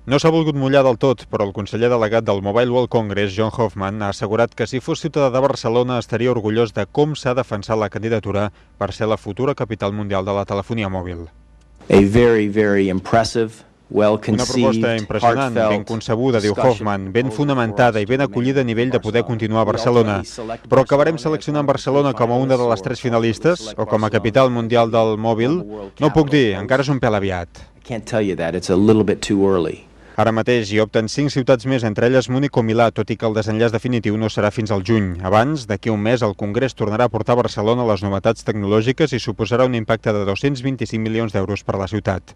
No s'ha volgut mullar del tot, però el conseller delegat del Mobile World Congress, John Hoffman, ha assegurat que si fos ciutadà de Barcelona estaria orgullós de com s'ha defensat la candidatura per ser la futura capital mundial de la telefonia mòbil. Una proposta impressionant, ben concebuda, diu Hoffman, ben fonamentada i ben acollida a nivell de poder continuar a Barcelona. Però acabarem seleccionant Barcelona com a una de les 3 finalistes o com a capital mundial del mòbil? No ho puc dir, encara és un pèl aviat. Ara mateix hi opten 5 ciutats més, entre elles Múnich o Milà, tot i que el desenllaç definitiu no serà fins al juny. Abans, d'aquí un mes, el Congrés tornarà a portar a Barcelona les novetats tecnològiques i suposarà un impacte de 225 milions d'euros per a la ciutat.